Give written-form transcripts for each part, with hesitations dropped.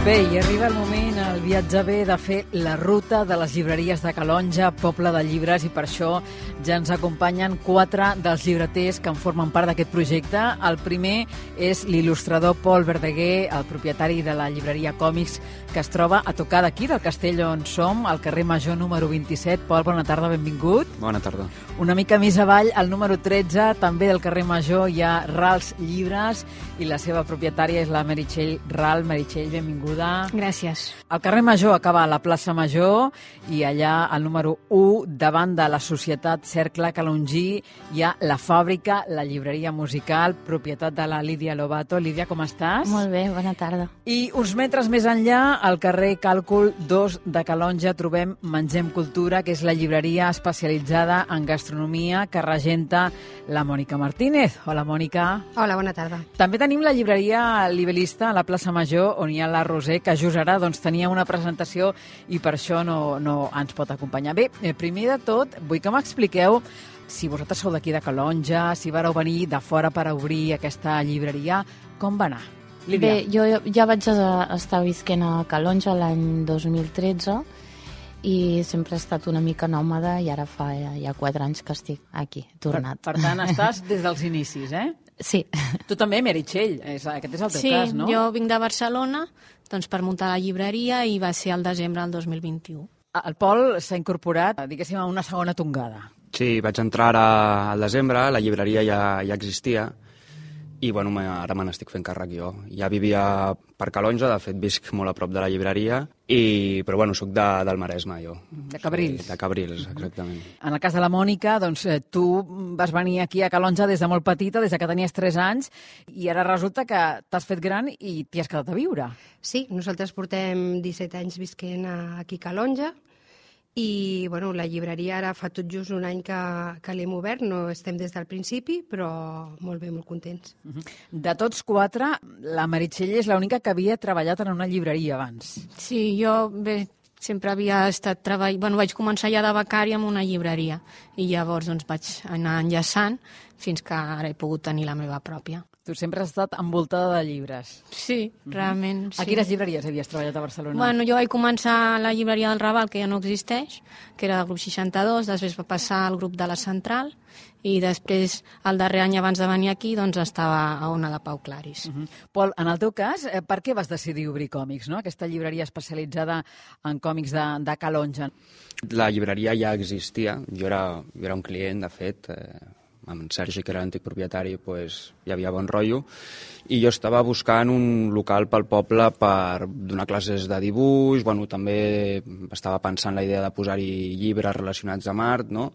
Bé, i arriba el moment, el viatge bé, de fer la ruta de les llibreries de Calonge, poble de llibres, i per això ja ens acompanyen 4 dels llibreters que en formen part d'aquest projecte. El primer és l'il·lustrador Pol Verdaguer, el propietari de la llibreria Còmics, que es troba a tocar d'aquí, del castell on som, al carrer Major número 27. Pol, bona tarda, benvingut. Bona tarda. Una mica més avall, al número 13, també del carrer Major, hi ha Rals Llibres, i la seva propietària és la Meritxell Ral. Meritxell, benvinguda. Gràcies. El carrer Major acaba a la plaça Major i allà, al número 1, davant de la Societat Cercle Calongí, hi ha la fàbrica, la llibreria musical, propietat de la Lídia Lobato. Lídia, com estàs? Molt bé, bona tarda. I uns metres més enllà, al carrer Càlcul 2 de Calonge, trobem Mengem Cultura, que és la llibreria especialitzada en gastronomia que regenta la Mònica Martínez. Hola, Mònica. Hola, bona tarda. També tenim la llibreria Libelista a la plaça Major, on hi ha la Roser, que just ara tenia una presentació i per això no ens pot acompanyar. Bé, primer de tot, vull que m'expliqueu si vosaltres sou d'aquí de Calonge, si vareu venir de fora per obrir aquesta llibreria, com va anar? Lídia. Bé, jo ja vaig estar visquent a Calonge l'any 2013 i sempre he estat una mica nòmada i ara fa ja 4 anys que estic aquí, tornat. Per tant, estàs des dels inicis, eh? Sí. Tu també, Meritxell, aquest és el teu cas, no? Sí, jo vinc de Barcelona per muntar la llibreria i va ser al desembre del 2021. El Pol s'ha incorporat, diguéssim, a una segona tongada. Sí, vaig entrar ara al desembre, la llibreria ja existia i bueno, ara me n'estic fent càrrec jo. Ja vivia per Calonge, de fet visc molt a prop de la llibreria, però bueno, soc del Maresme jo. De Cabrils. Sí, de Cabrils, exactament. En el cas de la Mònica, doncs tu vas venir aquí a Calonge des de molt petita, des de que tenies 3 anys, i ara resulta que t'has fet gran i t'hi has quedat a viure. Sí, nosaltres portem 17 anys visquent aquí a Calonge i bueno, la llibreria ara fa tot just un any que l'hem obert, no estem des del principi, però molt bé, molt contents. De tots 4, la Meritxell és l'única que havia treballat en una llibreria abans. Sí, jo sempre havia estat treballant... Bueno, vaig començar ja de becària en una llibreria i llavors vaig anar enllaçant fins que ara he pogut tenir la meva pròpia. Tu sempre has estat envoltada de llibres. Sí, realment, sí. A quines llibreries havies treballat a Barcelona? Bueno, jo vaig començar a la llibreria del Raval, que ja no existeix, que era del grup 62, després va passar al grup de la Central, i després, el darrer any abans de venir aquí, estava a una de Pau Claris. Pol, en el teu cas, per què vas decidir obrir Còmics, no? Aquesta llibreria especialitzada en còmics de Calonge? La llibreria ja existia, jo era un client, de fet, amb en Sergi, que era l'antic propietari, hi havia bon rotllo, i jo estava buscant un local pel poble per donar classes de dibuix, també estava pensant la idea de posar-hi llibres relacionats amb art, no?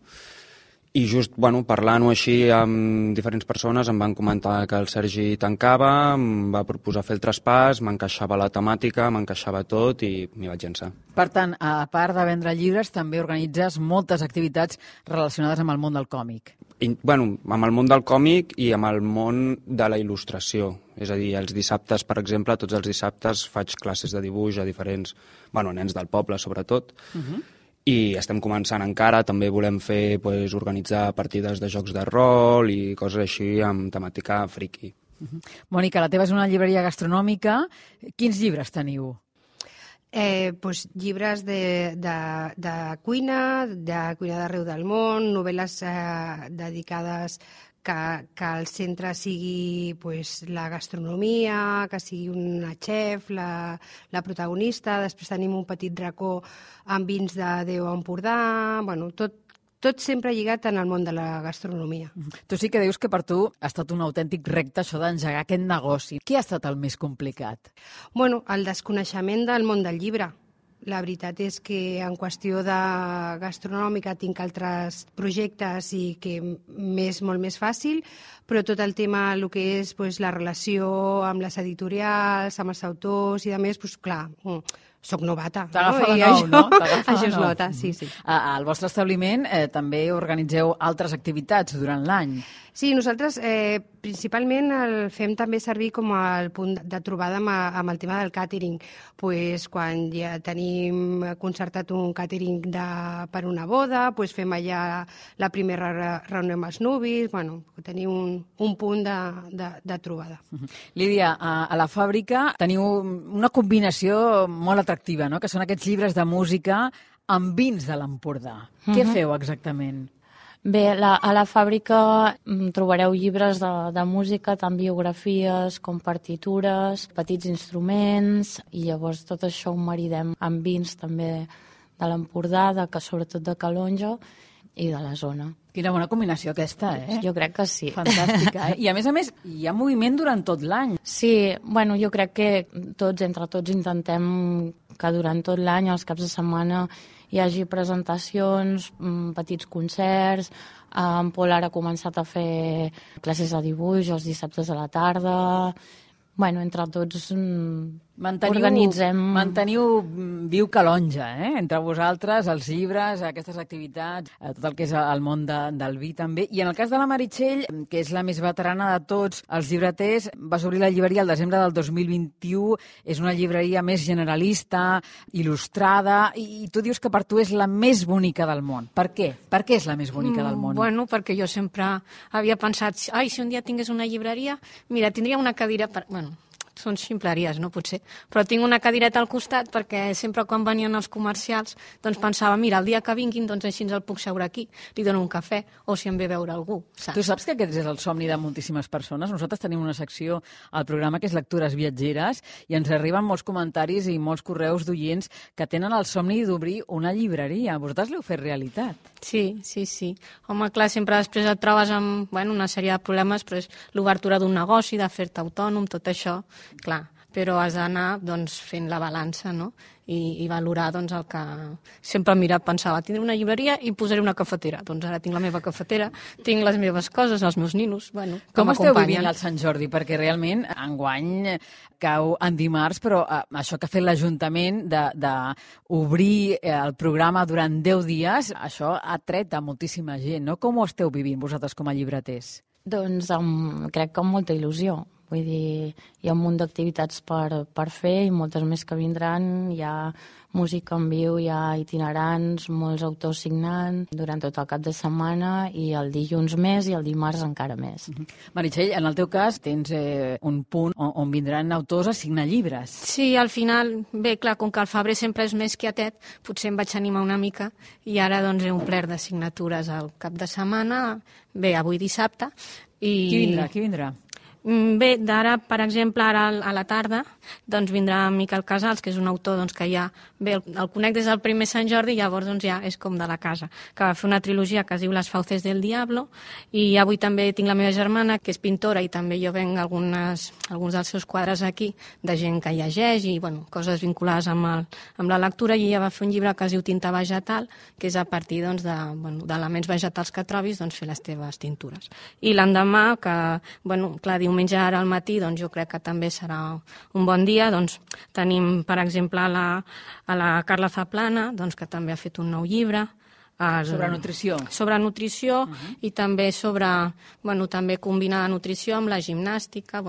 I just parlant-ho així amb diferents persones em van comentar que el Sergi tancava, em va proposar fer el traspàs, m'encaixava la temàtica, m'encaixava tot i m'hi vaig llançar. Per tant, a part de vendre llibres, també organitzes moltes activitats relacionades amb el món del còmic. Amb el món del còmic i amb el món de la il·lustració. És a dir, els dissabtes, per exemple, tots els dissabtes faig classes de dibuix a diferents, nens del poble, sobretot, i estem començant encara, també volem fer, organitzar partides de jocs de rol i coses així amb temàtica friki. Mònica, la teva és una llibreria gastronòmica. Quins llibres teniu? Llibres de cuina, de cuina d'arreu del món, novel·les dedicades que el centre sigui la gastronomia, que sigui una xef, la protagonista. Després tenim un petit racó amb vins de Déu Empordà. Tot sempre lligat en el món de la gastronomia. Tu sí que dius que per tu ha estat un autèntic repte això d'engegar aquest negoci. Què ha estat el més complicat? El desconeixement del món del llibre. La veritat és que en qüestió de gastronòmica tinc altres projectes i que m'és molt més fàcil, però tot el tema, el que és la relació amb les editorials, amb els autors i a més, clar, soc novata. T'agafa de I nou, no? Això es nota, sí. Al vostre establiment també organitzeu altres activitats durant l'any. Sí, nosaltres principalment el fem també servir com el punt de trobada amb el tema del càtering. Pues, quan ja tenim concertat un càtering per una boda, pues fem allà la primera reunió amb els nuvis, tenim un punt de trobada. Lídia, a la fàbrica teniu una combinació molt atractiva, no? Que són aquests llibres de música amb vins de l'Empordà. Què feu exactament? Bé, a la fàbrica trobareu llibres de música, tant biografies com partitures, petits instruments, i llavors tot això ho maridem amb vins també de l'Empordà, sobretot de Calonge i de la zona. Quina bona combinació aquesta, Jo crec que sí. Fantàstica, I a més, hi ha moviment durant tot l'any. Sí, jo crec que entre tots intentem que durant tot l'any, als caps de setmana, hi hagi presentacions, petits concerts. En Pol ara ha començat a fer classes de dibuix els dissabtes a la tarda. Entre tots organitzem... Manteniu viu Calonge, entre vosaltres, els llibres, aquestes activitats, tot el que és el món del vi també. I en el cas de la Meritxell, que és la més veterana de tots els llibreters, vas obrir la llibreria el desembre del 2021, és una llibreria més generalista, il·lustrada, i tu dius que per tu és la més bonica del món. Per què? Per què és la més bonica del món? Perquè jo sempre havia pensat, si un dia tingués una llibreria, mira, tindria una cadira per... Són ximpleries, no? Potser. Però tinc una cadireta al costat perquè sempre quan venien els comercials doncs pensava, mira, el dia que vinguin doncs així el puc seure aquí, li dono un cafè o si em ve a veure algú, saps? Tu saps que aquest és el somni de moltíssimes persones? Nosaltres tenim una secció al programa que és Lectures Viatgeres i ens arriben molts comentaris i molts correus d'oients que tenen el somni d'obrir una llibreria. Vosaltres l'heu fet realitat? Sí. Home, clar, sempre després et trobes amb una sèrie de problemes, però és l'obertura d'un negoci, de fer-te autònom, tot això, clar, però has d'anar fent la balança, no? I valorar el que sempre pensava, tindré una llibreria i posaré una cafetera. Doncs ara tinc la meva cafetera, tinc les meves coses, els meus ninos, Com esteu vivint el Sant Jordi? Perquè realment enguany cau en dimarts, però això que ha fet l'Ajuntament d'obrir el programa durant 10 dies, això ha tret a moltíssima gent, no? Com ho esteu vivint vosaltres com a llibreters? Doncs crec que amb molta il·lusió. Vull dir, hi ha un munt d'activitats per fer i moltes més que vindran. Hi ha música en viu, hi ha itinerants, molts autors signant durant tot el cap de setmana i el dilluns més i el dimarts encara més. Meritxell, en el teu cas tens un punt on vindran autors a signar llibres. Sí, al final, bé, clar, com que el febrer sempre és més quietet, potser em vaig animar una mica i ara he omplert de signatures al cap de setmana, bé, avui dissabte. Qui vindrà? Bé, d'ara, per exemple, ara a la tarda, vindrà Miquel Casals, que és un autor que ja... Bé, el conec des del primer Sant Jordi i llavors ja és com de la casa, que va fer una trilogia que es diu Les fauces del diablo, i avui també tinc la meva germana, que és pintora, i també jo venc alguns dels seus quadres aquí, de gent que llegeix i, coses vinculades amb la lectura, i ella va fer un llibre que es diu Tinta vegetal, que és a partir d'elements vegetals que trobis, fer les teves tintures. I l'endemà, que, clar, diumenge ara al matí, jo crec que també serà un bon dia. Tenim, per exemple, a la Carla Zaplana, que també ha fet un nou llibre. Sobre nutrició. Sobre nutrició i també també combina la nutrició amb la gimnàstica,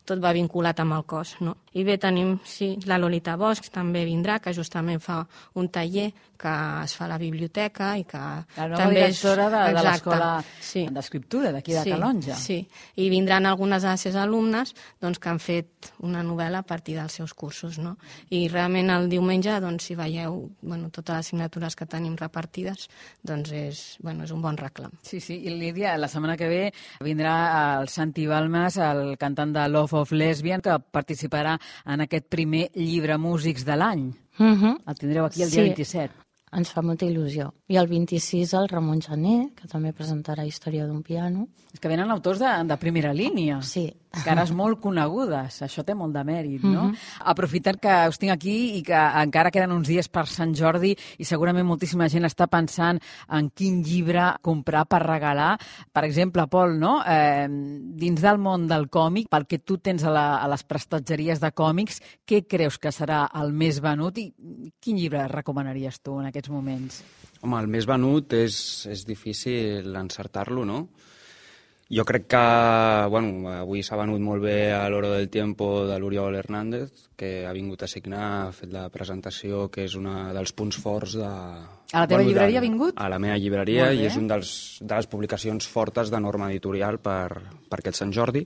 tot va vinculat amb el cos, no? I bé, tenim, sí, la Lolita Bosch també vindrà, que justament fa un taller que es fa a la biblioteca i que la nova directora de l'escola d'escriptura d'aquí de Calonge. Sí, i vindran algunes de les seves alumnes que han fet una novel·la a partir dels seus cursos, no? I realment el diumenge, si veieu totes les signatures que tenim repartides, és un bon reclam. Sí, i Lídia, la setmana que ve vindrà el Santi Balmes, el cantant de Love of Lesbian, que participarà en aquest primer llibre músics de l'any. El tindreu aquí el dia 27. Ens fa molta il·lusió. I el 26 el Ramon Gené, que també presentarà Història d'un piano. És que venen autors de primera línia. Sí. cares molt conegudes, això té molt de mèrit, no? Aprofitant que us tinc aquí i que encara queden uns dies per Sant Jordi i segurament moltíssima gent està pensant en quin llibre comprar per regalar. Per exemple, Pol, no? Dins del món del còmic, pel que tu tens a les prestatgeries de còmics, què creus que serà el més venut i quin llibre recomanaries tu en aquests moments? Home, el més venut és difícil encertar-lo, no? Jo crec que, bueno, avui s'ha venut molt bé a l'Oro del Tiempo de l'Oriol Hernández, que ha vingut a signar, ha fet la presentació, que és un dels punts forts de... A la teva llibreria ha vingut? A la meva llibreria, i és una de les publicacions fortes de Norma Editorial per aquest Sant Jordi.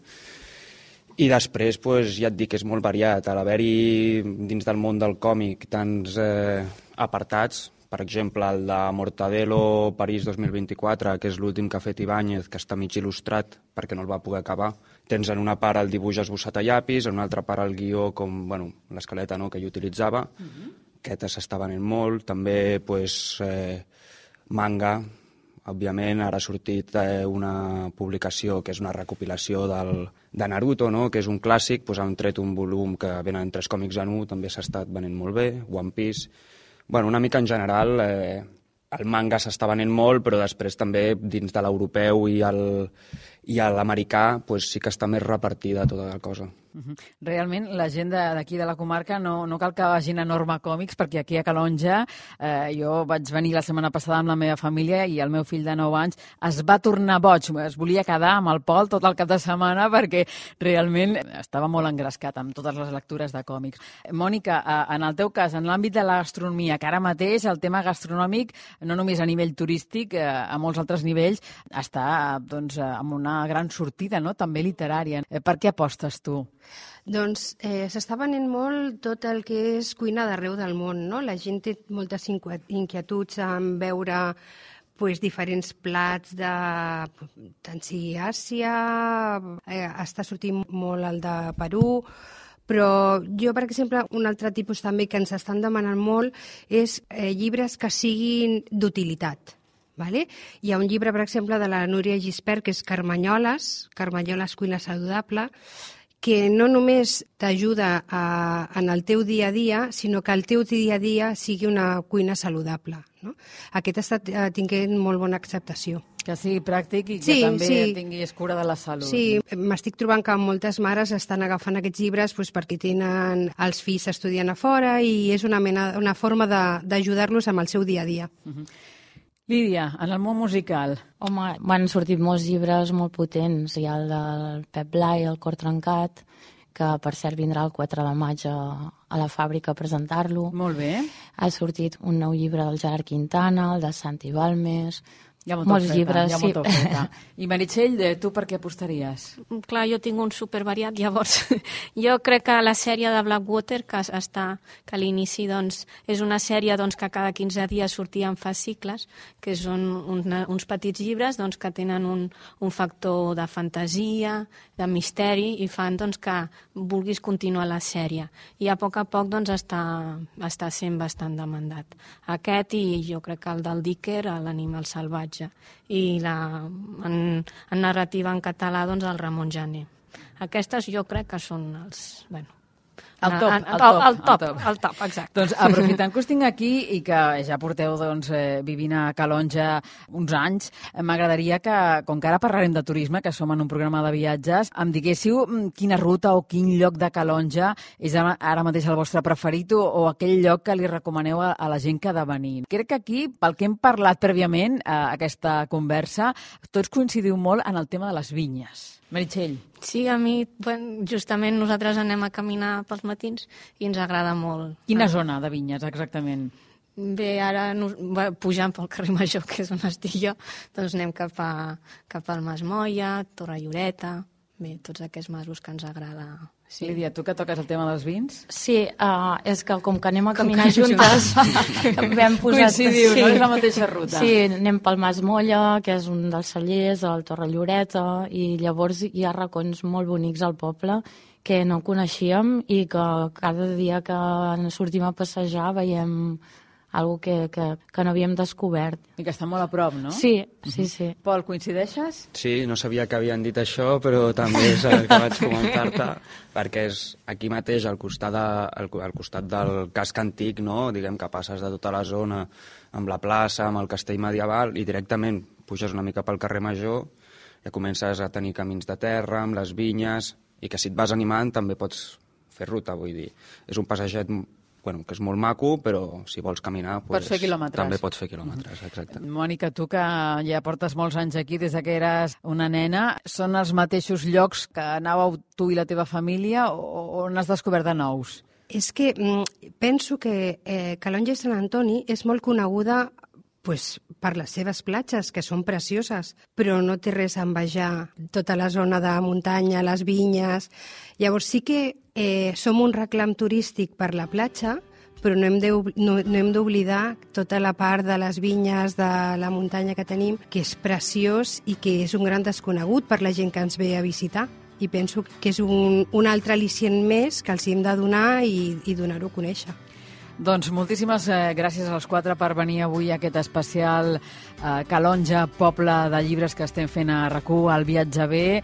I després, ja et dic, és molt variat. A l'haver-hi dins del món del còmic tants apartats, per exemple, el de Mortadelo París 2024, que és l'últim que ha fet Ibáñez, que està mig il·lustrat perquè no el va poder acabar. Tens en una part el dibuix esbossat a llapis, en una altra part el guió, com l'escaleta que ell utilitzava. Aquest s'està venent molt. També manga, òbviament. Ara ha sortit una publicació que és una recopilació de Naruto, no? Que és un clàssic. Han tret un volum que venen 3 còmics en 1, també s'ha estat venent molt bé. One Piece... Una mica en general, el manga s'està venent molt, però després també dins de l'europeu i l'americà sí que està més repartida tota la cosa. Realment, la gent d'aquí de la comarca no cal que vagin a Norma Còmics, perquè aquí a Calonja jo vaig venir la setmana passada amb la meva família i el meu fill de 9 anys es va tornar boig, es volia quedar amb el Pol tot el cap de setmana perquè realment estava molt engrescat amb totes les lectures de còmics. Mònica, en el teu cas, en l'àmbit de la gastronomia, que ara mateix el tema gastronòmic, no només a nivell turístic, a molts altres nivells, està amb una gran sortida, no? També literària. Per què apostes tu? Doncs s'està venent molt tot el que és cuina d'arreu del món, no? La gent té moltes inquietuds en veure diferents plats tant sigui Àsia, està sortint molt el de Perú, però jo, per exemple, un altre tipus també que ens estan demanant molt és llibres que siguin d'utilitat. Vale? Hi ha un llibre, per exemple, de la Núria Gispert, que és Carmanyoles, cuina saludable, que no només t'ajuda en el teu dia a dia, sinó que el teu dia a dia sigui una cuina saludable. No? Aquest està tinguent molt bona acceptació. Que sigui pràctic i que també tinguis cura de la salut. Sí, m'estic trobant que moltes mares estan agafant aquests llibres perquè tenen els fills estudiant a fora i és una forma d'ajudar-los amb el seu dia a dia. Lídia, en el món musical... Home, van sortit molts llibres molt potents. Hi ha el del Pep Blai, El cor trencat, que per cert vindrà el 4 de maig a la fàbrica a presentar-lo. Molt bé. Ha sortit un nou llibre del Gerard Quintana, el de Santi Balmes... Hi ha molta oferta. I Meritxell, tu per què apostaries? Clar, jo tinc un supervariat, llavors jo crec que la sèrie de Blackwater, que a l'inici és una sèrie que cada 15 dies sortia en fascicles, que són uns petits llibres que tenen un factor de fantasia, de misteri, i fan que vulguis continuar la sèrie. I a poc està sent bastant demandat. Aquest i jo crec que el del Dicker, l'Animal salvatge, i en narrativa en català el Ramon Jané. Aquestes jo crec que són els... El top, exacte. Doncs aprofitant que us tinc aquí i que ja porteu vivint a Calonja uns anys, m'agradaria que, com que ara parlarem de turisme, que som en un programa de viatges, em diguéssiu quina ruta o quin lloc de Calonja és ara mateix el vostre preferit o aquell lloc que li recomaneu a la gent que ha de venir. Crec que aquí, pel que hem parlat prèviament a aquesta conversa, tots coincidiu molt en el tema de les vinyes. Meritxell. Sí, a mi, justament nosaltres anem a caminar pels matins i ens agrada molt. Quina zona de vinyes, exactament? Bé, ara pujant pel carrer Major, que és on estic jo, anem cap al Mas Moia, Torre Lloreta, bé, tots aquests masos que ens agrada. Sí. Lídia, tu que toques el tema dels vins? Sí, és que com que anem a caminar juntes vam posar... Coincidiu, no? És la mateixa ruta. Sí, anem pel Mas Molla, que és un dels cellers, el Torre Lloreta, i llavors hi ha racons molt bonics al poble que no coneixíem i que cada dia que sortim a passejar veiem algo que no havíem descobert. I que està molt a prop, no? Sí, sí, sí. Pol, coincideixes? Sí, no sabia que havien dit això, però també és el que vaig comentar-te, perquè és aquí mateix, al costat del casc antic, no? Diguem que passes de tota la zona amb la plaça, amb el castell medieval, i directament puges una mica pel carrer Major, ja comences a tenir camins de terra, amb les vinyes, i que si et vas animant també pots fer ruta, vull dir. És un passeget que és molt maco, però si vols caminar pots fer quilòmetres. També pots fer quilòmetres, exacte. Mònica, tu que ja portes molts anys aquí, des que eres una nena, són els mateixos llocs que anàveu tu i la teva família o n'has descobert de nous? És que penso que Calonge i Sant Antoni és molt coneguda per les seves platges, que són precioses, però no té res a envejar tota la zona de muntanya, les vinyes. Llavors sí que som un reclam turístic per la platja, però no hem d'oblidar tota la part de les vinyes, de la muntanya que tenim, que és preciós i que és un gran desconegut per la gent que ens ve a visitar. I penso que és un altre al·licient més que els hem de donar i donar-ho a conèixer. Doncs moltíssimes gràcies als quatre per venir avui a aquest especial Calonge, poble de llibres que estem fent a RAC1, al Viatge Bé.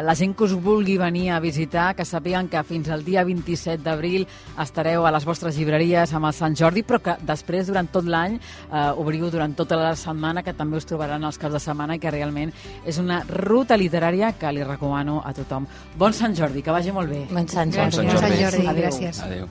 La gent que us vulgui venir a visitar, que sàpiguen que fins al dia 27 d'abril estareu a les vostres llibreries amb el Sant Jordi, però que després, durant tot l'any, obriu durant tota la setmana, que també us trobaran els caps de setmana i que realment és una ruta literària que li recomano a tothom. Bon Sant Jordi, que vagi molt bé. Bon Sant Jordi. Bon Sant Jordi. Gràcies. Adéu.